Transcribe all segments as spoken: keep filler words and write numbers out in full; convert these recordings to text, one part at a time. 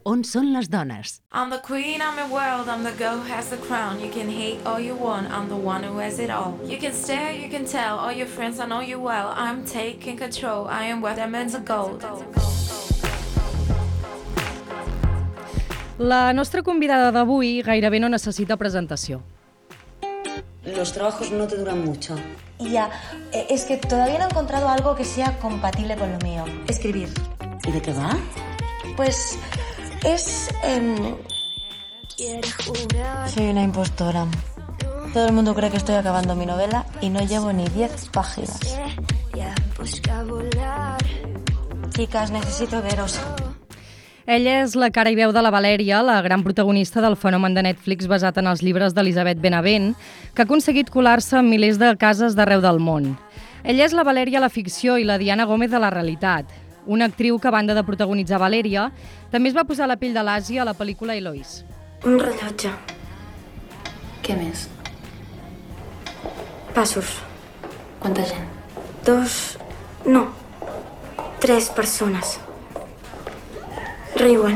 On són les dones? I'm the queen, I'm the world, I'm the girl who has the crown. You can hate all you want, I'm the one who has it all. You can stare, you can tell, all your friends, I know you well. I'm taking control, I am worth diamonds of gold. La nostra convidada d'avui gairebé no necessita presentació. Los trabajos no te duran mucho. Ya, es que todavía no he encontrado algo que sea compatible con lo mío. Escribir. ¿Y de qué va? Pues es... Eh... Soy una impostora. Todo el mundo cree que estoy acabando mi novela y no llevo ni diez páginas. Chicas, necesito veros. Ella és la cara i veu de la Valèria, la gran protagonista del fenomen de Netflix basat en els llibres d'Elisabeth Benavent, que ha aconseguit colar-se en milers de cases d'arreu del món. Ella és la Valèria a la ficció i la Diana Gómez a la realitat. Una actriu que, a banda de protagonitzar Valèria, també es va posar la pell de l'Àsia a la pel·lícula Eloís. Un rellotge. Què més? Passos. Quanta gent? Dos... no. Tres persones. Riuen.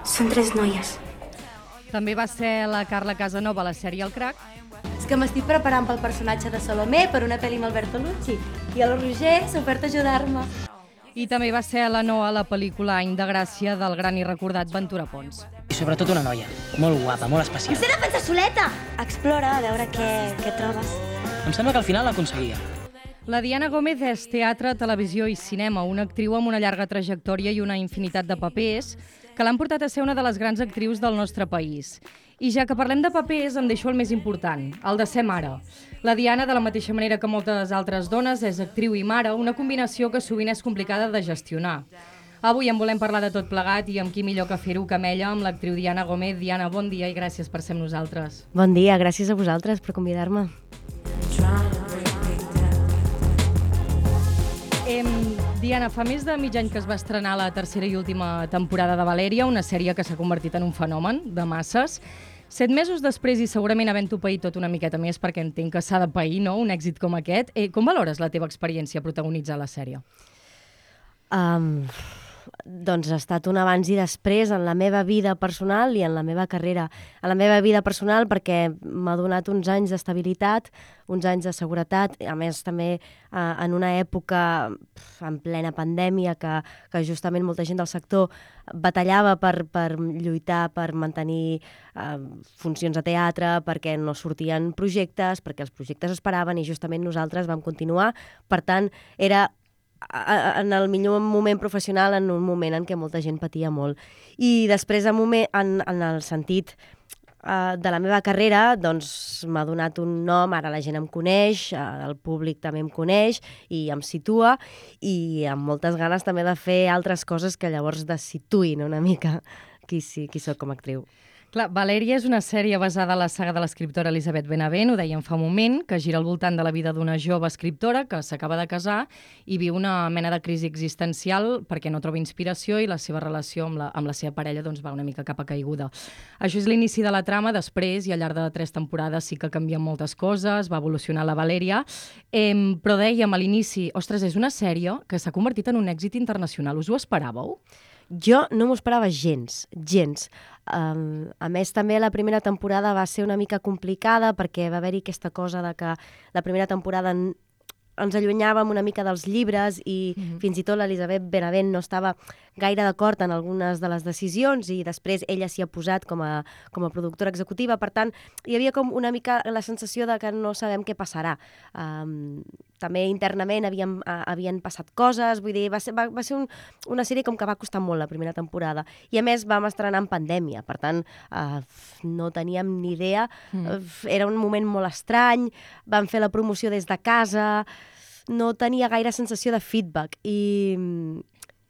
Són tres noies. També va ser la Carla Casanova a la sèrie El Crac. És que m'estic preparant pel personatge de Salomé per una pel·li amb Alberto Lucci i el Roger s'ha ofert a ajudar-me. I també va ser la Noa a la pel·lícula Any de Gràcia del gran i recordat Ventura Pons. I sobretot una noia, molt guapa, molt especial. Em sé defensar soleta! Explora, a veure què, què trobes. Em sembla que al final l'aconseguia. La Diana Gómez és teatre, televisió i cinema, una actriu amb una llarga trajectòria i una infinitat de papers que l'han portat a ser una de les grans actrius del nostre país. I ja que parlem de papers, em deixo el més important, el de ser mare. La Diana, de la mateixa manera que moltes altres dones, és actriu i mare, una combinació que sovint és complicada de gestionar. Avui en volem parlar de tot plegat i amb qui millor que fer-ho que amb ella, amb l'actriu Diana Gómez. Diana, bon dia i gràcies per ser amb nosaltres. Bon dia, gràcies a vosaltres per convidar-me. Eh, Diana, fa més de mig any que es va estrenar la tercera i última temporada de Valèria, una sèrie que s'ha convertit en un fenomen de masses. Set mesos després i segurament havent-ho paït tot una miqueta més, perquè entenc que s'ha de pair, no?, un èxit com aquest. Eh, com valores la teva experiència protagonitzar la sèrie? Um, doncs ha estat un abans i després en la meva vida personal i en la meva carrera. En la meva vida personal perquè m'ha donat uns anys d'estabilitat, uns anys de seguretat, a més també eh, en una època en plena pandèmia que, que justament molta gent del sector batallava per, per lluitar, per mantenir eh, funcions de teatre, perquè no sortien projectes, perquè els projectes es paraven i justament nosaltres vam continuar. Per tant, era en el millor moment professional, en un moment en què molta gent patia molt. I després, en, moment, en, en el sentit uh, de la meva carrera, doncs m'ha donat un nom, ara la gent em coneix, uh, el públic també em coneix i em situa, i amb moltes ganes també de fer altres coses que llavors desituïn una mica qui, sí, qui soc com a actriu. Clar, Valèria és una sèrie basada en la saga de l'escriptora Elisabeth Benavent, ho dèiem fa un moment, que gira al voltant de la vida d'una jove escriptora que s'acaba de casar i viu una mena de crisi existencial perquè no troba inspiració i la seva relació amb la, amb la seva parella doncs, va una mica cap a caiguda. Això és l'inici de la trama, després, i al llarg de tres temporades sí que canvien moltes coses, va evolucionar la Valèria, eh, però dèiem a l'inici, ostres, és una sèrie que s'ha convertit en un èxit internacional. Us ho esperàveu? Jo no m'ho esperava gens, gens. Um, a més, també la primera temporada va ser una mica complicada perquè va haver-hi aquesta cosa de que la primera temporada ens allunyàvem una mica dels llibres i mm-hmm. fins i tot l'Elisabeth Benavent no estava gaire d'acord en algunes de les decisions i després ella s'hi ha posat com a, com a productora executiva. Per tant, hi havia com una mica la sensació de que no sabem què passarà. Um, també internament havien, uh, havien passat coses, vull dir, va ser, va, va ser un, una sèrie com que va costar molt la primera temporada. I a més vam estrenar en pandèmia, per tant, uh, no teníem ni idea. Mm. Uh, era un moment molt estrany, vam fer la promoció des de casa, no tenia gaire sensació de feedback i,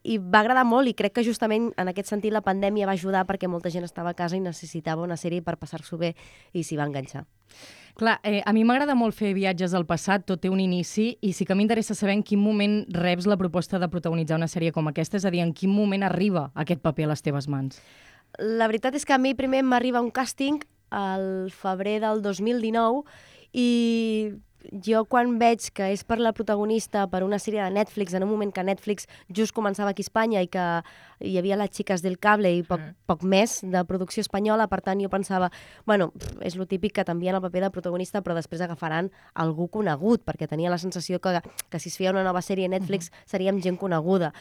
i va agradar molt i crec que justament en aquest sentit la pandèmia va ajudar perquè molta gent estava a casa i necessitava una sèrie per passar-s'ho bé i s'hi va enganxar. Clar, eh, a mi m'agrada molt fer viatges al passat, tot té un inici, i sí que m'interessa saber en quin moment reps la proposta de protagonitzar una sèrie com aquesta, és a dir, en quin moment arriba aquest paper a les teves mans. La veritat és que a mi primer m'arriba un càsting al febrer del dos mil dinou i jo quan veig que és per la protagonista, per una sèrie de Netflix, en un moment que Netflix just començava aquí a Espanya i que hi havia les xiques del cable i poc, mm. poc més de producció espanyola, per tant jo pensava, bueno, és lo típic que t'envien el paper de protagonista però després agafaran algú conegut, perquè tenia la sensació que, que si es feia una nova sèrie a Netflix mm-hmm. seríem gent coneguda.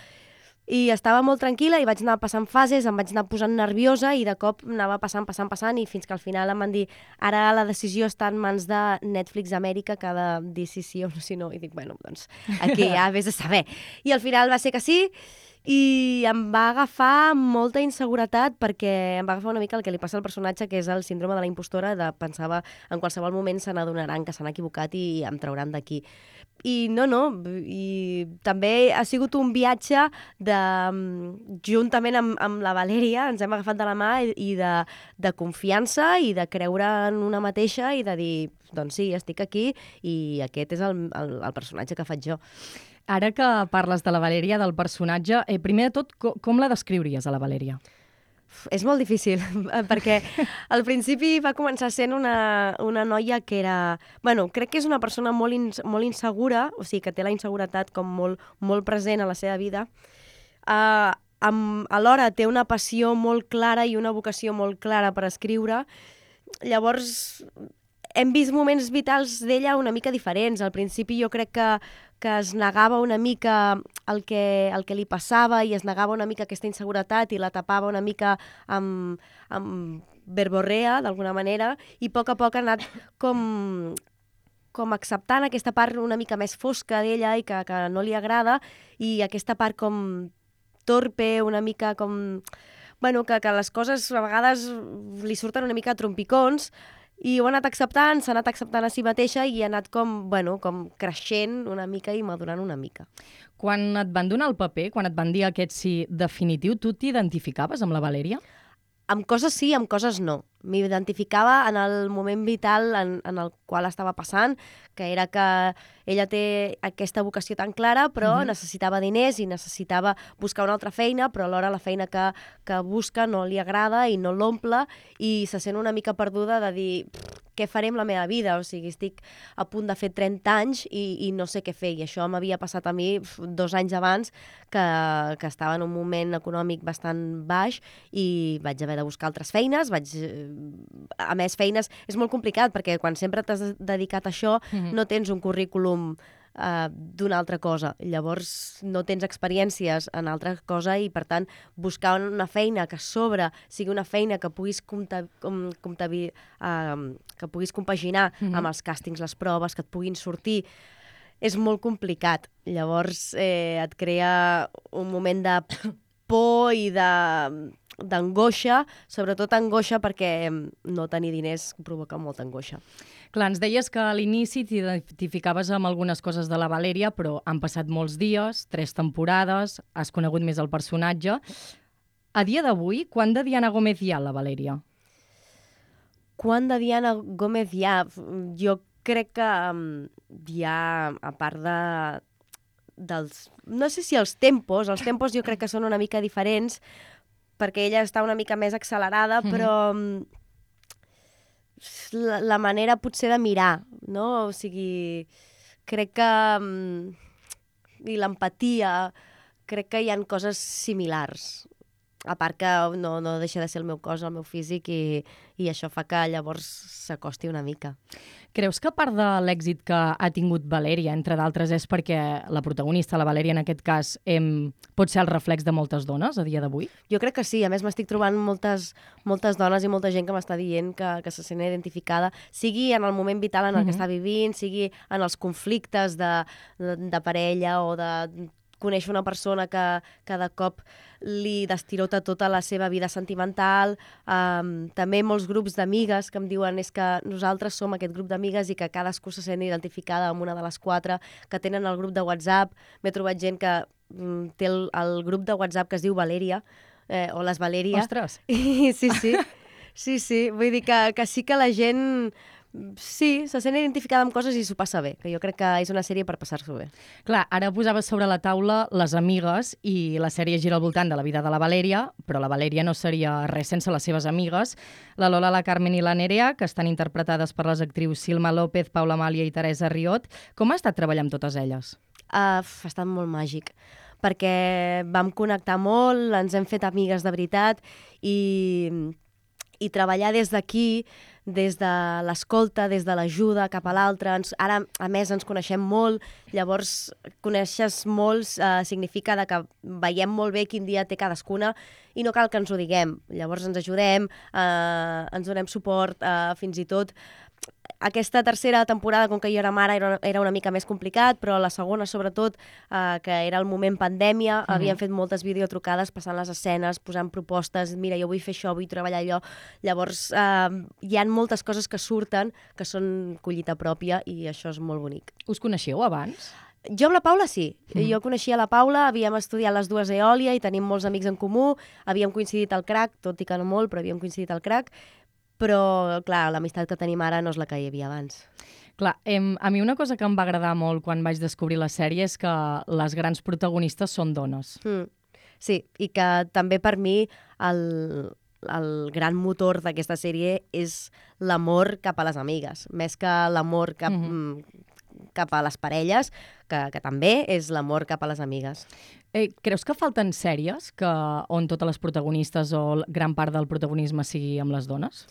I estava molt tranquil·la i vaig anar passant fases, em vaig anar posant nerviosa i de cop anava passant, passant, passant i fins que al final em van dir ara la decisió està en mans de Netflix Amèrica que ha de dir si sí o no, si no. I dic, bueno, doncs aquí ja vés a saber. I al final va ser que sí i em va agafar molta inseguretat perquè em va agafar una mica el que li passa al personatge, que és el síndrome de la impostora, de pensava en qualsevol moment se n'adonaran que s'han equivocat i em trauran d'aquí. I no, no, i també ha sigut un viatge de, juntament amb, amb la Valèria, ens hem agafat de la mà i, i de, de confiança i de creure en una mateixa i de dir, doncs sí, estic aquí i aquest és el, el, el personatge que faig jo. Ara que parles de la Valèria, del personatge, eh, primer de tot, com, com la descriuries, a la Valèria? És molt difícil, perquè al principi va començar sent una, una noia que era... Bueno, crec que és una persona molt, in, molt insegura, o sigui, que té la inseguretat com molt, molt present a la seva vida. Uh, amb, alhora té una passió molt clara i una vocació molt clara per escriure. Llavors, hem vist moments vitals d'ella una mica diferents. Al principi jo crec que que es negava una mica el que, el que li passava i es negava una mica aquesta inseguretat i la tapava una mica amb, amb verborrea, d'alguna manera, i a poc a poc ha anat com, com acceptant aquesta part una mica més fosca d'ella i que, que no li agrada, i aquesta part com torpe, una mica com... Bueno, que, que les coses a vegades li surten una mica a trompicons, i ho ha anat acceptant, s'ha anat acceptant a si mateixa i ha anat com, bueno, com creixent una mica i madurant una mica. Quan et van donar el paper, quan et van dir aquest sí definitiu, tu t'identificaves amb la Valèria? Amb coses sí, amb coses no. M'identificava en el moment vital en, en el qual estava passant, que era que ella té aquesta vocació tan clara, però uh-huh. necessitava diners i necessitava buscar una altra feina, però alhora la feina que, que busca no li agrada i no l'omple, i se sent una mica perduda de dir què faré amb la meva vida? O sigui, estic a punt de fer trenta anys i, i no sé què fer. I això m'havia passat a mi dos anys abans, que, que estava en un moment econòmic bastant baix i vaig haver de buscar altres feines. Vaig, a més, feines és molt complicat perquè quan sempre t'has dedicat a això mm-hmm. no tens un currículum Uh, d'una altra cosa. Llavors no tens experiències en altra cosa i per tant buscar una feina que a sobre sigui una feina que puguis compta, com, compta, uh, que puguis compaginar mm-hmm. amb els càstings, les proves, que et puguin sortir, és molt complicat. Llavors eh, et crea un moment de por i de d'angoixa, sobretot angoixa perquè no tenir diners provoca molta angoixa. Clar, ens deies que a l'inici t'identificaves amb algunes coses de la Valèria, però han passat molts dies, tres temporades, has conegut més el personatge. A dia d'avui, quant de Diana Gómez hi ha a la Valèria? Quant de Diana Gómez hi ha? Jo crec que um, hi ha, a part de... dels... no sé si els tempos, els tempos jo crec que són una mica diferents, perquè ella està una mica més accelerada, mm-hmm. però la, la manera potser de mirar, no? O sigui, crec que... i l'empatia, crec que hi ha coses similars. A part que no, no deixa de ser el meu cos, el meu físic, i, i això fa que llavors s'acosti una mica. Creus que part de l'èxit que ha tingut Valèria, entre d'altres, és perquè la protagonista, la Valèria en aquest cas, em, pot ser el reflex de moltes dones a dia d'avui? Jo crec que sí. A més, m'estic trobant moltes, moltes dones i molta gent que m'està dient que, que se sent identificada, sigui en el moment vital en el mm-hmm. que està vivint, sigui en els conflictes de, de, de parella o de conèixer una persona que cada cop li destirota tota la seva vida sentimental. Um, també molts grups d'amigues que em diuen és que nosaltres som aquest grup d'amigues i que cadascú se sent identificada amb una de les quatre, que tenen el grup de WhatsApp. M'he trobat gent que um, té el, el grup de WhatsApp que es diu Valèria, eh, o les Valèria. Ostres! I, sí, sí. Sí, sí. Vull dir que, que sí que la gent sí, se sent identificada amb coses i s'ho passa bé, que jo crec que és una sèrie per passar-s'ho bé. Clar, ara posaves sobre la taula Les amigues i la sèrie gira al voltant de la vida de la Valèria, però la Valèria no seria res sense les seves amigues, la Lola, la Carmen i la Nerea, que estan interpretades per les actrius Silma López, Paula Amàlia i Teresa Riot. Com ha estat treballar amb totes elles? Uh, ha estat molt màgic, perquè vam connectar molt, ens hem fet amigues de veritat i, i treballar des d'aquí, des de l'escolta, des de l'ajuda cap a l'altre. Ara, a més, ens coneixem molt, llavors coneixes molts eh, significa de que veiem molt bé quin dia té cadascuna i no cal que ens ho diguem. Llavors ens ajudem, eh, ens donem suport, eh, fins i tot aquesta tercera temporada, com que jo era mare, era, era una mica més complicat, però la segona, sobretot, eh, que era el moment pandèmia, uh-huh. havíem fet moltes videotrucades passant les escenes, posant propostes, mira, jo vull fer això, vull treballar allò. Llavors, eh, hi ha moltes coses que surten que són collita pròpia i això és molt bonic. Us coneixeu abans? Jo amb la Paula sí. Mm. Jo coneixia la Paula, havíem estudiat les dues a Eòlia i tenim molts amics en comú, havíem coincidit al crac, tot i que no molt, però havíem coincidit al crac, però, clar, l'amistat que tenim ara no és la que hi havia abans. Clar, em, a mi una cosa que em va agradar molt quan vaig descobrir la sèrie és que les grans protagonistes són dones. Mm. Sí, i que també per mi el, el gran motor d'aquesta sèrie és l'amor cap a les amigues, més que l'amor cap, mm-hmm. cap a les parelles, que, que també és l'amor cap a les amigues. Eh, creus que falten sèries que, on totes les protagonistes o gran part del protagonisme sigui amb les dones?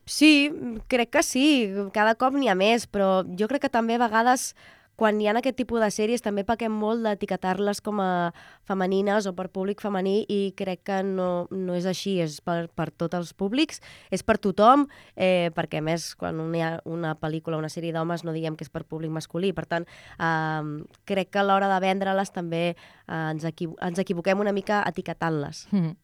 Sí, crec que sí. Cada cop n'hi ha més, però jo crec que també a vegades quan hi ha aquest tipus de sèries també pequem molt d'etiquetar-les com a femenines o per públic femení i crec que no, no és així, és per, per tots els públics, és per tothom, eh, perquè a més quan hi ha una pel·lícula o una sèrie d'homes no diguem que és per públic masculí, per tant eh, crec que a l'hora de vendre-les també eh, ens, equivo ens equivoquem una mica etiquetant-les. Mm-hmm.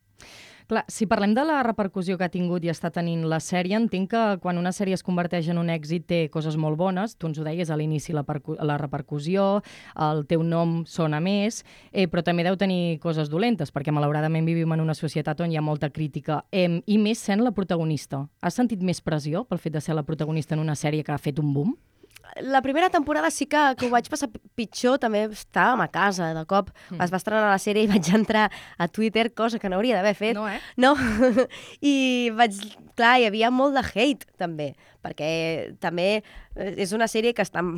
Clar, si parlem de la repercussió que ha tingut i està tenint la sèrie, entenc que quan una sèrie es converteix en un èxit té coses molt bones, tu ens ho deies a l'inici, la, la repercussió, el teu nom sona més, eh, però també deu tenir coses dolentes, perquè malauradament vivim en una societat on hi ha molta crítica, eh, i més sent la protagonista. Has sentit més pressió pel fet de ser la protagonista en una sèrie que ha fet un boom? La primera temporada sí que, que ho vaig passar pitjor, també estàvem a casa, de cop mm. es va estrenar la sèrie i vaig entrar a Twitter, cosa que no hauria d'haver fet. No, eh? No, i vaig... Clar, hi havia molt de hate, també, perquè també és una sèrie que estan...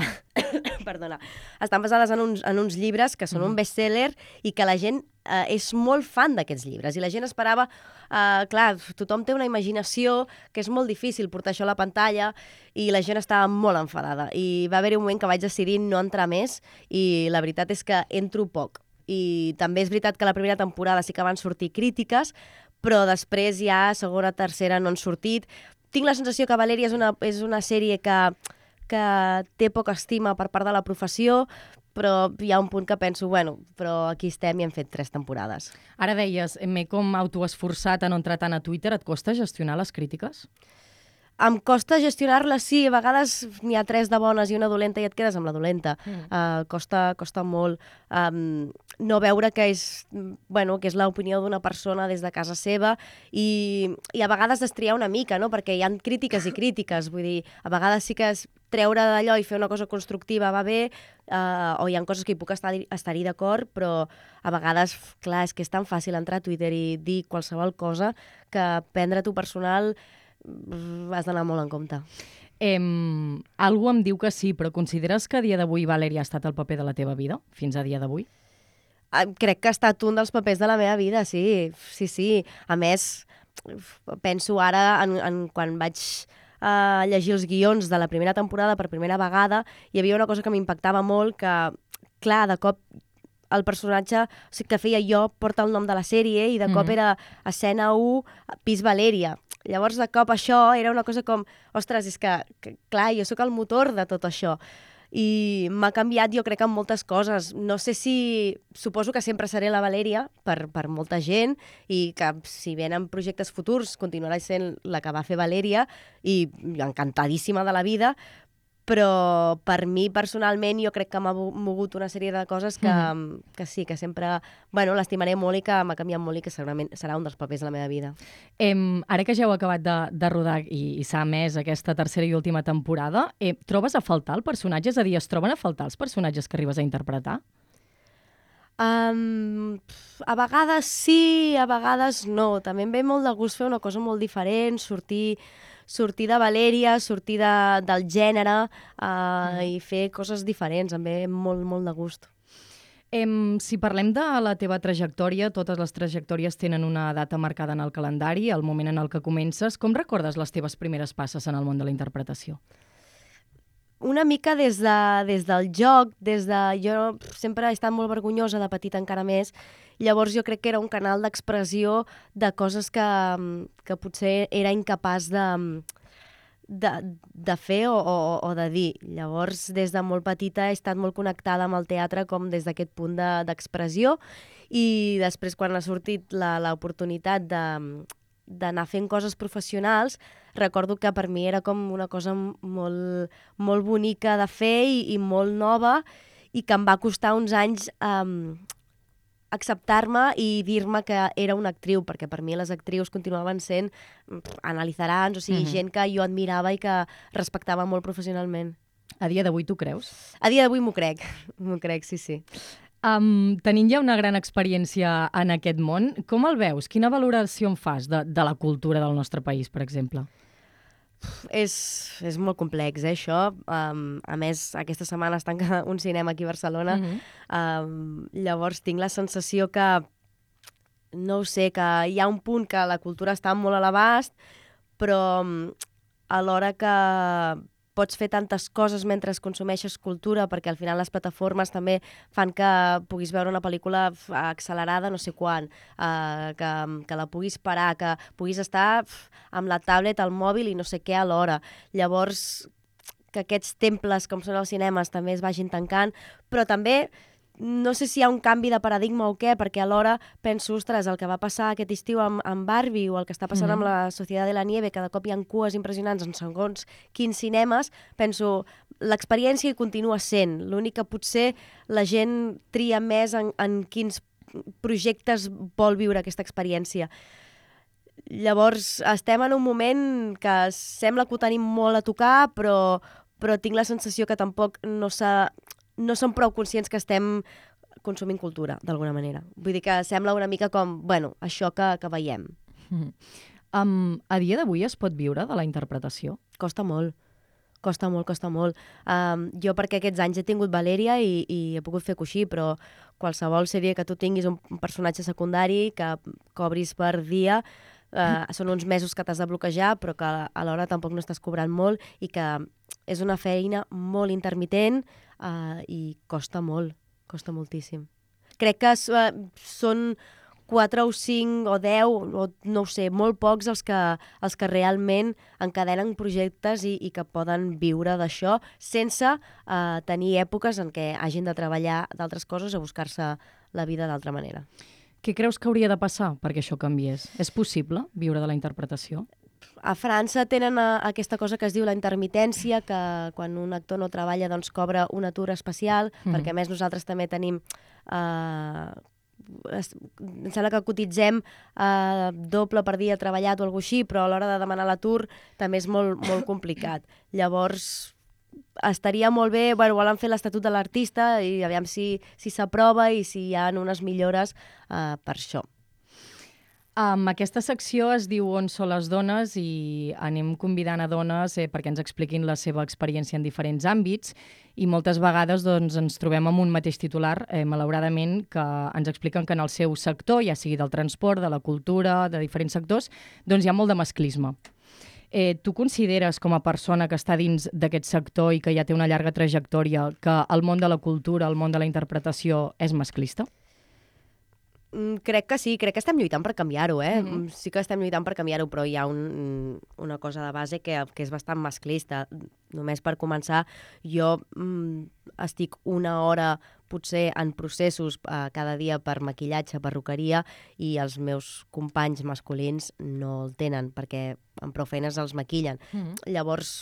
Perdona. Estan basades en uns, en uns llibres que són mm. un best-seller i que la gent eh, és molt fan d'aquests llibres. I la gent esperava... Eh, clar, tothom té una imaginació que és molt difícil portar això a la pantalla i la gent estava molt enfadada. I va haver-hi un moment que vaig decidir no entrar més i la veritat és que entro poc. I també és veritat que la primera temporada sí que van sortir crítiques, però després ja segona, tercera no han sortit. Tinc la sensació que Valèria és una, és una sèrie que, que té poca estima per part de la professió, però hi ha un punt que penso, bueno, però aquí estem i hem fet tres temporades. Ara deies, m'he com autoesforçat a no entrar tant a Twitter, et costa gestionar les crítiques? Em costa gestionar-les, sí, a vegades n'hi ha tres de bones i una dolenta i et quedes amb la dolenta. Mm. Uh, costa, costa molt um, no veure que és, bueno, que és l'opinió d'una persona des de casa seva i, i a vegades destriar una mica, no? Perquè hi ha crítiques i crítiques, vull dir, a vegades sí que és treure d'allò i fer una cosa constructiva va bé, uh, o hi ha coses que hi puc estar, estar-hi d'acord, però a vegades, clar, és que és tan fàcil entrar a Twitter i dir qualsevol cosa que prendre-t'ho personal has d'anar molt en compte. Em, algú em diu que sí, però consideres que a dia d'avui Valèria ha estat el paper de la teva vida, fins a dia d'avui? Crec que ha estat un dels papers de la meva vida, sí, sí, sí. A més, penso ara, en, en quan vaig uh, llegir els guions de la primera temporada per primera vegada, hi havia una cosa que m'impactava molt, que, clar, de cop el personatge que feia jo porta el nom de la sèrie i de cop mm-hmm. era escena u, pis Valèria. Llavors, de cop això era una cosa com, ostres, és que, que clar, jo sóc el motor de tot això. I m'ha canviat, jo crec, en moltes coses. No sé si... Suposo que sempre seré la Valèria per, per molta gent i que si venen projectes futurs continuarà sent la que va fer Valèria i encantadíssima de la vida, però per mi personalment jo crec que m'ha mogut una sèrie de coses que, mm. que sí, que sempre bueno, l'estimaré molt i que m'ha canviat molt i que segurament serà un dels papers de la meva vida. Em, ara que ja heu acabat de, de rodar i, i s'ha emès aquesta tercera i última temporada, eh, trobes a faltar el personatge? És a dir, es troben a faltar els personatges que arribes a interpretar? Um, a vegades sí, a vegades no. També em ve molt de gust fer una cosa molt diferent, sortir, sortir de Valèria, sortir de, del gènere uh, mm. i fer coses diferents. Em ve molt, molt de gust. Em, si parlem de la teva trajectòria, totes les trajectòries tenen una data marcada en el calendari, el moment en el que comences. Com recordes les teves primeres passes en el món de la interpretació? Una mica des, de, des del joc, des de... Jo sempre he estat molt vergonyosa, de petita encara més, llavors jo crec que era un canal d'expressió de coses que, que potser era incapaç de, de, de fer o, o, o de dir. Llavors, des de molt petita he estat molt connectada amb el teatre com des d'aquest punt de, d'expressió i després quan ha sortit l'oportunitat de d'anar fent coses professionals, recordo que per mi era com una cosa molt, molt bonica de fer i, i molt nova i que em va costar uns anys um, acceptar-me i dir-me que era una actriu, perquè per mi les actrius continuaven sent analitzarans, o sigui, mm-hmm. gent que jo admirava i que respectava molt professionalment. A dia d'avui t'ho creus? A dia d'avui m'ho crec, m'ho crec, sí, sí. Um, tenint ja una gran experiència en aquest món, com el veus? Quina valoració en fas de, de la cultura del nostre país, per exemple? És, és molt complex, eh, això. Um, a més, aquesta setmana es tanca un cinema aquí a Barcelona. Mm-hmm. um, llavors tinc la sensació que, no ho sé, que hi ha un punt que la cultura està molt a l'abast, però alhora que pots fer tantes coses mentre consumeixes cultura, perquè al final les plataformes també fan que puguis veure una pel·lícula accelerada no sé quan, uh, que, que la puguis parar, que puguis estar amb la tablet, al mòbil i no sé què alhora. Llavors, que aquests temples com són els cinemes també es vagin tancant, però també no sé si hi ha un canvi de paradigma o què, perquè alhora penso, ostres, el que va passar aquest estiu amb, amb Barbie o el que està passant mm-hmm. amb la Societat de la Nieve, que de cop hi ha cues impressionants en segons quins cinemes, penso, l'experiència hi continua sent. L'únic que potser la gent tria més en, en quins projectes vol viure aquesta experiència. Llavors, estem en un moment que sembla que ho tenim molt a tocar, però, però tinc la sensació que tampoc no s'ha... no som prou conscients que estem consumint cultura, d'alguna manera. Vull dir que sembla una mica com, bueno, això que, que veiem. Mm. Um, a dia d'avui es pot viure de la interpretació? Costa molt, costa molt, costa molt. Um, jo perquè aquests anys he tingut Valèria i, i he pogut fer coixí, però qualsevol sèrie que tu tinguis un personatge secundari que cobris per dia, uh, són uns mesos que t'has de bloquejar, però que alhora tampoc no estàs cobrant molt i que és una feina molt intermitent, Uh, i costa molt, costa moltíssim. Crec que uh, són quatre o cinc o deu, o no ho sé, molt pocs els que, els que realment encadenen projectes i, i que poden viure d'això sense uh, tenir èpoques en què hagin de treballar d'altres coses o buscar-se la vida d'altra manera. Què creus que hauria de passar perquè això canviés? És possible viure de la interpretació? A França tenen a, aquesta cosa que es diu la intermitència, que quan un actor no treballa doncs cobra un atur especial, mm. perquè a més nosaltres també tenim... Eh, es, em sembla que cotitzem eh, doble per dia treballat o alguna cosa així, però a l'hora de demanar l'atur també és molt, molt complicat. Llavors, estaria molt bé... Bueno, volen fer l'Estatut de l'Artista i aviam si, si s'aprova i si hi ha unes millores eh, per això. Um, aquesta secció es diu On són les dones i anem convidant a dones eh, perquè ens expliquin la seva experiència en diferents àmbits i moltes vegades doncs, ens trobem amb un mateix titular, eh, malauradament, que ens expliquen que en el seu sector, ja sigui del transport, de la cultura, de diferents sectors, doncs hi ha molt de masclisme. Eh, tu consideres, com a persona que està dins d'aquest sector i que ja té una llarga trajectòria, que el món de la cultura, el món de la interpretació és masclista? Crec que sí, crec que estem lluitant per canviar-ho, eh? Mm-hmm. Sí que estem lluitant per canviar-ho, però hi ha un, una cosa de base que, que és bastant masclista. Només per començar, jo mm, estic una hora potser en processos eh, cada dia per maquillatge, perruqueria, i els meus companys masculins no el tenen, perquè amb prou feines els maquillen. Mm-hmm. Llavors,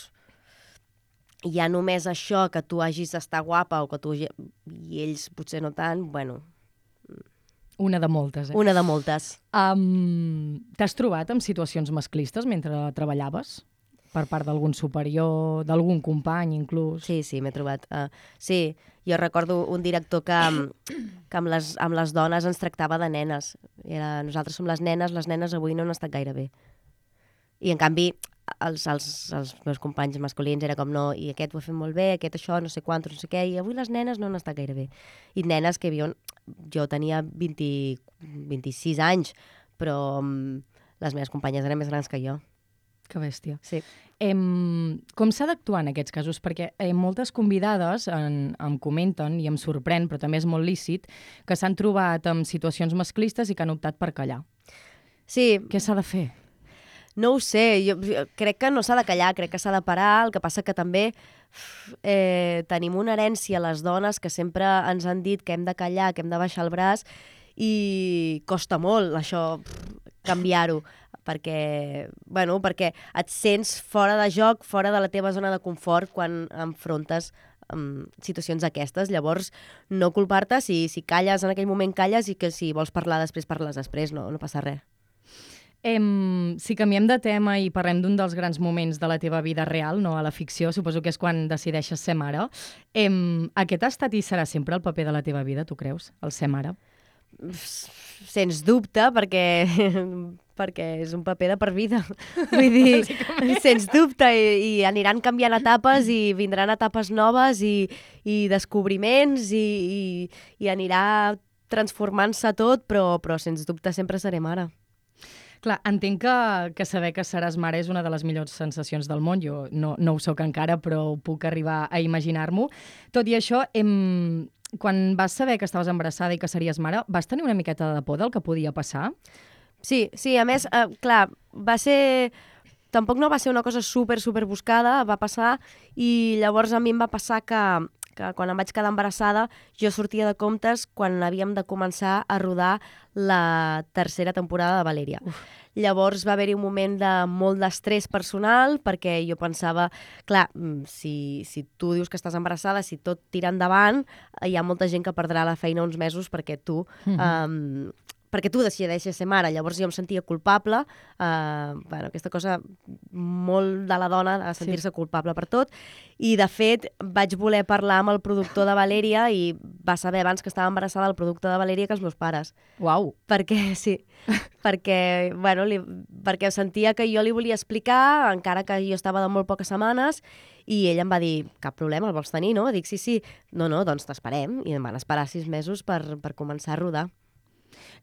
ja només això, que tu hagis d'estar guapa o que tu... i ells potser no tant, bueno... Una de moltes, eh? Una de moltes. Um, T'has trobat en situacions masclistes mentre treballaves? Per part d'algun superior, d'algun company, inclús? Sí, sí, m'he trobat. Uh, sí, jo recordo un director que, que amb, les, amb les dones ens tractava de nenes. Era, nosaltres som les nenes, les nenes avui no han estat gaire bé. I, en canvi, els, els, els meus companys masculins era com no, i aquest ho ha fet molt bé, aquest això, no sé quantos, no sé què, i avui les nenes no han estat gaire bé. I nenes que viuen... Jo tenia vint, vint-i-sis anys, però um, les meves companyes eren més grans que jo. Que bèstia. Sí. Em, com s'ha d'actuar en aquests casos? Perquè eh, moltes convidades en, em comenten, i em sorprèn, però també és molt lícit, que s'han trobat en situacions masclistes i que han optat per callar. Sí. Què s'ha de fer? No ho sé, jo crec que no s'ha de callar, crec que s'ha de parar, el que passa que també eh, tenim una herència, les dones, que sempre ens han dit que hem de callar, que hem de baixar el braç, i costa molt això, canviar-ho, perquè, bueno, perquè et sents fora de joc, fora de la teva zona de confort quan enfrontes amb situacions aquestes. Llavors, no culpar-te, si, si calles en aquell moment calles, i que si vols parlar després, parles després, no, no passa res. Em, si canviem de tema i parlem d'un dels grans moments de la teva vida real, no a la ficció, suposo que és quan decideixes ser mare, em, aquest ha estat i serà sempre el paper de la teva vida, tu creus, el ser mare? Sens dubte, perquè, perquè és un paper de per vida. Vull dir, sens dubte, i, i aniran canviant etapes i vindran etapes noves i, i descobriments i, i, i anirà transformant-se tot, però, però sens dubte sempre seré mare. Clar, entenc que, que saber que seràs mare és una de les millors sensacions del món. Jo no, no ho soc encara, però puc arribar a imaginar-m'ho. Tot i això, hem... quan vas saber que estaves embarassada i que series mare, vas tenir una miqueta de por del que podia passar? Sí, sí, a més, eh, clar, va ser... Tampoc no va ser una cosa super, super buscada, va passar, i llavors a mi em va passar que, que quan em vaig quedar embarassada jo sortia de comptes quan havíem de començar a rodar la tercera temporada de Valèria. Uf. Llavors va haver-hi un moment de molt d'estrès personal, perquè jo pensava, clar, si, si tu dius que estàs embarassada, si tot tira endavant, hi ha molta gent que perdrà la feina uns mesos perquè tu... Mm-hmm. um, perquè tu decideixes ser mare. Llavors jo em sentia culpable, eh, bueno, aquesta cosa molt de la dona, de sentir-se sí. culpable per tot, i de fet vaig voler parlar amb el productor de Valèria i va saber abans que estava embarassada el productor de Valèria que els meus pares. Uau! Perquè, sí, perquè, bueno, li, perquè sentia que jo li volia explicar, encara que jo estava de molt poques setmanes, i ell em va dir, cap problema, el vols tenir, no? Dic, sí, sí. No, no, doncs t'esperem. I em van esperar sis mesos per, per començar a rodar.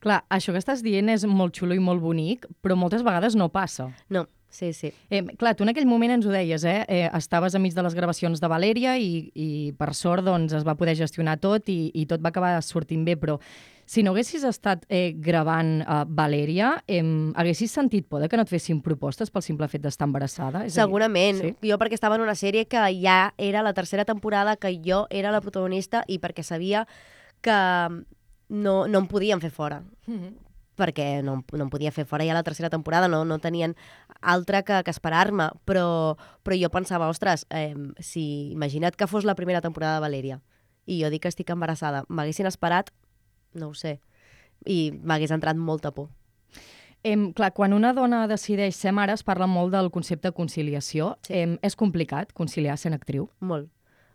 Clar, això que estàs dient és molt xulo i molt bonic, però moltes vegades no passa. No, sí, sí. Eh, clar, tu en aquell moment ens ho deies, eh? eh estaves enmig de les gravacions de Valèria i, i per sort doncs, es va poder gestionar tot i, i tot va acabar sortint bé, però si no haguessis estat eh, gravant eh, Valèria, eh, haguessis sentit por de que no et fessin propostes pel simple fet d'estar embarassada? És Segurament. Sí? Jo perquè estava en una sèrie que ja era la tercera temporada, que jo era la protagonista i perquè sabia que no, no em podien fer fora. Mm-hmm. Perquè no, no em podia fer fora ja la tercera temporada, no, no tenien altra que, que esperar-me, però, però jo pensava, ostres, eh, si imagina't que fos la primera temporada de Valèria i jo dic que estic embarassada, m'haguessin esperat, no ho sé, i m'hagués entrat molta por. Eh, clar, quan una dona decideix ser mare es parla molt del concepte de conciliació. Sí. Eh, és complicat conciliar sent actriu? Molt.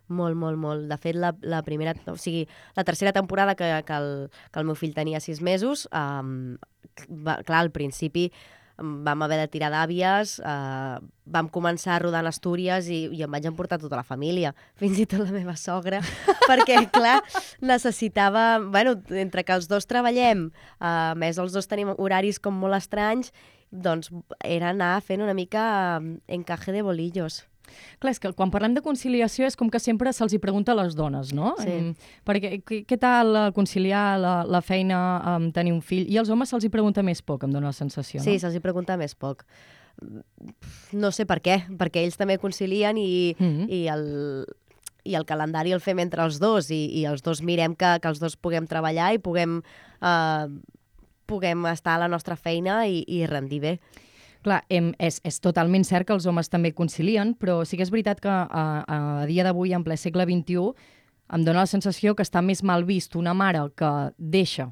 Molt, molt, molt. De fet, la, la primera, o sigui, la tercera temporada que, que, el, que el meu fill tenia sis mesos, um, va, clar, al principi vam haver de tirar d'àvies, uh, vam començar a rodar en Astúries i, i em vaig emportar tota la família, fins i tot la meva sogra, perquè, clar, necessitava... Bueno, entre que els dos treballem, uh, més els dos tenim horaris com molt estranys, doncs era anar fent una mica uh, encaje de bolillos. Clar, és que quan parlem de conciliació és com que sempre se'ls hi pregunta a les dones, no? Sí. Um, perquè què, què tal conciliar la, la feina amb tenir un fill? I als homes se'ls hi pregunta més poc, em dóna la sensació, no? Sí, se'ls hi pregunta més poc. No sé per què, perquè ells també concilien i, mm-hmm. i, el, i el calendari el fem entre els dos i, i els dos mirem que, que els dos puguem treballar i puguem, uh, puguem estar a la nostra feina i, i rendir bé. Clar, em, és, és totalment cert que els homes també concilien, però sí que és veritat que a, a dia d'avui, en ple segle vint-i-u, em dóna la sensació que està més mal vist una mare que deixa,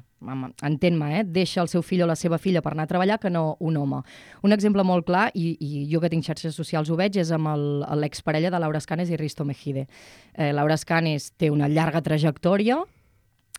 entén-me, eh, deixa el seu fill o la seva filla per anar a treballar que no un home. Un exemple molt clar, i, i jo que tinc xarxes socials ho veig, és amb el- l'exparella de Laura Escanes i Risto Mejide. Eh, Laura Escanes té una llarga trajectòria,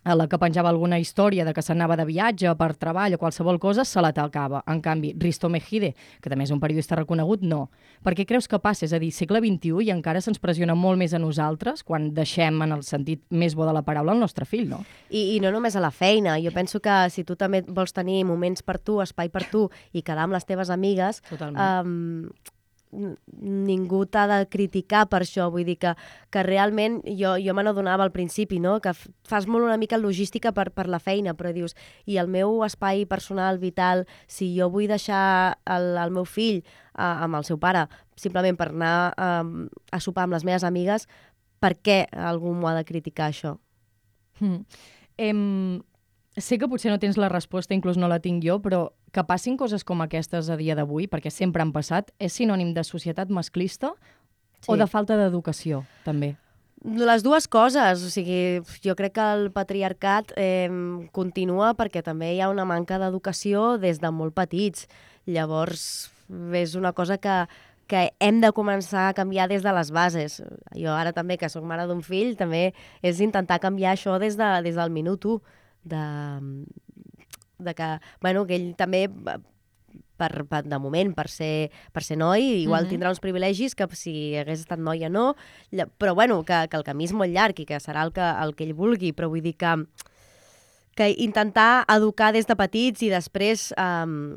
a la que penjava alguna història de que s'anava de viatge per treball o qualsevol cosa, se la talcava. En canvi, Risto Mejide, que també és un periodista reconegut, no. Per què creus que passa? És a dir, segle vint-i-u i encara se'ns pressiona molt més a nosaltres quan deixem, en el sentit més bo de la paraula, el nostre fill, no? I, I no només a la feina. Jo penso que si tu també vols tenir moments per tu, espai per tu i quedar amb les teves amigues, um, ningú t'ha de criticar per això. Vull dir que, que realment jo, jo me n'adonava al principi, no? Que fas molt una mica logística per, per la feina, però dius, i el meu espai personal, vital, si jo vull deixar el, el meu fill uh, amb el seu pare simplement per anar um, a sopar amb les meves amigues, per què algú m'ho ha de criticar, això? Mm. Em... Sé que potser no tens la resposta, inclús no la tinc jo, però que passin coses com aquestes a dia d'avui, perquè sempre han passat, és sinònim de societat masclista Sí. o de falta d'educació, també? Les dues coses. O sigui, jo crec que el patriarcat eh, continua perquè també hi ha una manca d'educació des de molt petits. Llavors, és una cosa que, que hem de començar a canviar des de les bases. Jo ara també, que sóc mare d'un fill, també és intentar canviar això des, de, des del minut u. De, de que, bueno, que ell també, per, per, de moment, per ser, per ser noi, igual Mhm. tindrà uns privilegis que si hagués estat noia no, lla- però bueno, que, que el camí és molt llarg i que serà el que, el que ell vulgui, però vull dir que, que intentar educar des de petits i després um,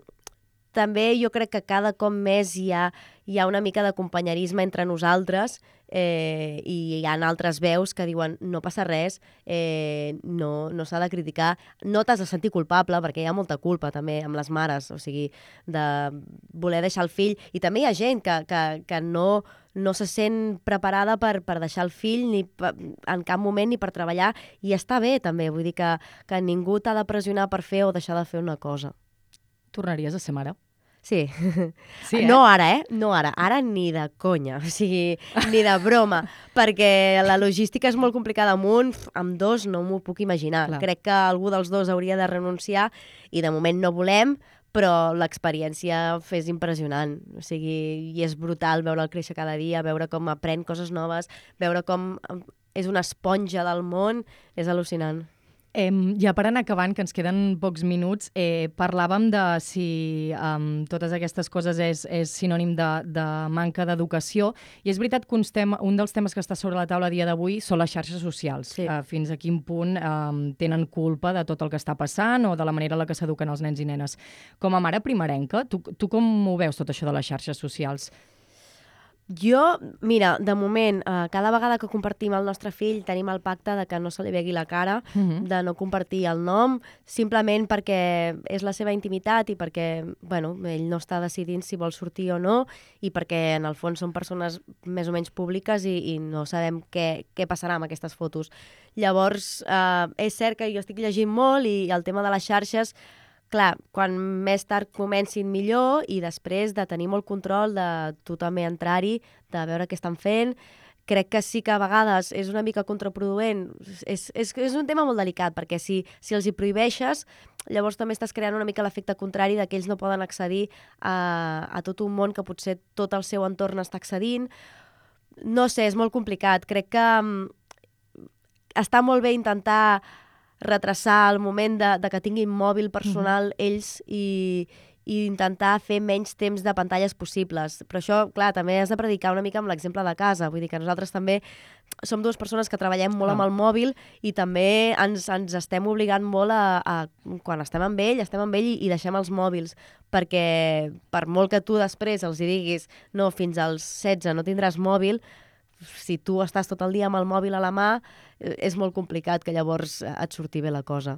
també jo crec que cada cop més hi ha, hi ha una mica de companyerisme entre nosaltres eh, i hi ha altres veus que diuen no passa res, eh, no, no s'ha de criticar, no t'has de sentir culpable perquè hi ha molta culpa també amb les mares, o sigui, de voler deixar el fill, i també hi ha gent que, que, que no, no se sent preparada per, per deixar el fill ni per, en cap moment ni per treballar, i està bé també, vull dir que, que ningú t'ha de pressionar per fer o deixar de fer una cosa. Tornaries a ser mare? Sí. Sí, eh? No ara, eh? No ara. Ara ni de conya, o sigui, ni de broma, perquè la logística és molt complicada amb un, amb dos no m'ho puc imaginar. Clar. Crec que algú dels dos hauria de renunciar i de moment no volem, però l'experiència és impressionant. O sigui, i és brutal veure'l créixer cada dia, veure com aprèn coses noves, veure com és una esponja del món, és al·lucinant. Eh, ja per anar acabant, que ens queden pocs minuts, eh, parlàvem de si um, totes aquestes coses és, és sinònim de, de manca d'educació, i és veritat que un, tema, un dels temes que està sobre la taula a dia d'avui són les xarxes socials. Sí. Uh, fins a quin punt um, tenen culpa de tot el que està passant o de la manera en la que s'eduquen els nens i nenes. Com a mare primerenca, tu, tu com ho veus tot això de les xarxes socials? Jo, mira, de moment, eh, cada vegada que compartim el nostre fill tenim el pacte de que no se li vegui la cara, Mhm. de no compartir el nom, simplement perquè és la seva intimitat i perquè, bueno, ell no està decidint si vol sortir o no, i perquè en el fons són persones més o menys públiques i, i no sabem què, què passarà amb aquestes fotos. Llavors, eh, és cert que jo estic llegint molt i el tema de les xarxes, clar, quan més tard comencin millor, i després de tenir molt control, de tu també entrar-hi, de veure què estan fent. Crec que sí que a vegades és una mica contraproduent. És, és, és un tema molt delicat, perquè si, si els hi prohibeixes, llavors també estàs creant una mica l'efecte contrari de que ells no poden accedir a, a tot un món que potser tot el seu entorn està accedint. No sé, és molt complicat. Crec que um, està molt bé intentar retrasar el moment de, de que tinguin mòbil personal mm-hmm. ells i, i intentar fer menys temps de pantalles possibles. Però això, clar, també has de predicar una mica amb l'exemple de casa. Vull dir que nosaltres també som dues persones que treballem molt Ah. amb el mòbil i també ens, ens estem obligant molt a, a... Quan estem amb ell, estem amb ell i, i deixem els mòbils, perquè per molt que tu després els hi diguis no, fins als setze no tindràs mòbil, si tu estàs tot el dia amb el mòbil a la mà, és molt complicat que llavors et surti bé la cosa.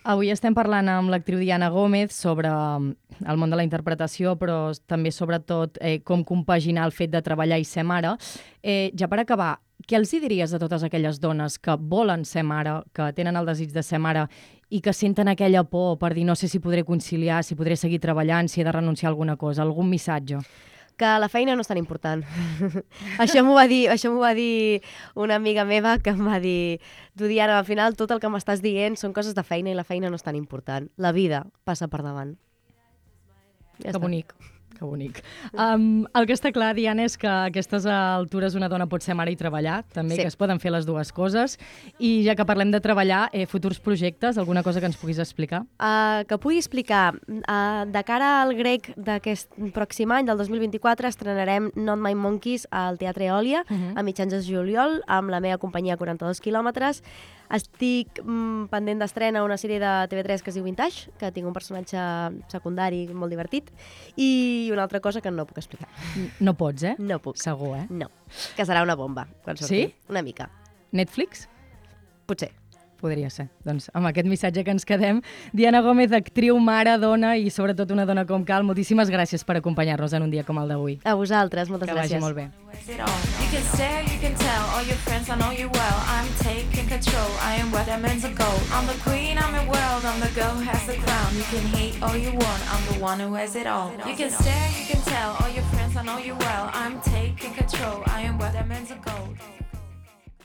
Avui estem parlant amb l'actriu Diana Gómez sobre el món de la interpretació, però també sobretot eh, com compaginar el fet de treballar i ser mare. Eh, ja per acabar, què els hi diries a totes aquelles dones que volen ser mare, que tenen el desig de ser mare i que senten aquella por per dir no sé si podré conciliar, si podré seguir treballant, si he de renunciar a alguna cosa, algun missatge? Que la feina no és tan important. això m'ho va dir, això m'ho va dir una amiga meva que em va dir tu, Diana, al final tot el que m'estàs dient són coses de feina i la feina no és tan important. La vida passa per davant. Ja que està. bonic, que bonic. Um, el que està clar, Diana, és que a aquestes altures una dona pot ser mare i treballar, també, Sí. que es poden fer les dues coses. I ja que parlem de treballar, eh, futurs projectes, alguna cosa que ens puguis explicar? Uh, que pugui explicar, uh, de cara al grec d'aquest pròxim any, del dos mil vint-i-quatre, estrenarem Not My Monkeys al Teatre Eòlia, uh -huh. a mitjans de juliol, amb la meva companyia quaranta-dos quilòmetres. Estic mm, pendent d'estrena una sèrie de T V tres que es diu Vintage, que tinc un personatge secundari molt divertit, i una altra cosa que no puc explicar. No pots, eh? No puc. Segur, eh? No, que serà una bomba quan surti. Sí? Una mica. Netflix? Potser. Podria ser. Doncs amb aquest missatge que ens quedem. Diana Gómez, actriu, mare, dona i sobretot una dona com cal, moltíssimes gràcies per acompanyar-nos en un dia com el d'avui. A vosaltres, moltes que gràcies. vagi molt bé. You can stare, you can tell all your friends I know you well. I'm taking control, I am where they're meant to go. I'm the queen, I'm the world, I'm the girl who has the crown. You can hate all you want, I'm the one who has it all. You can stare, you can tell all your friends I know you well. I'm taking control, I am where they're meant to go.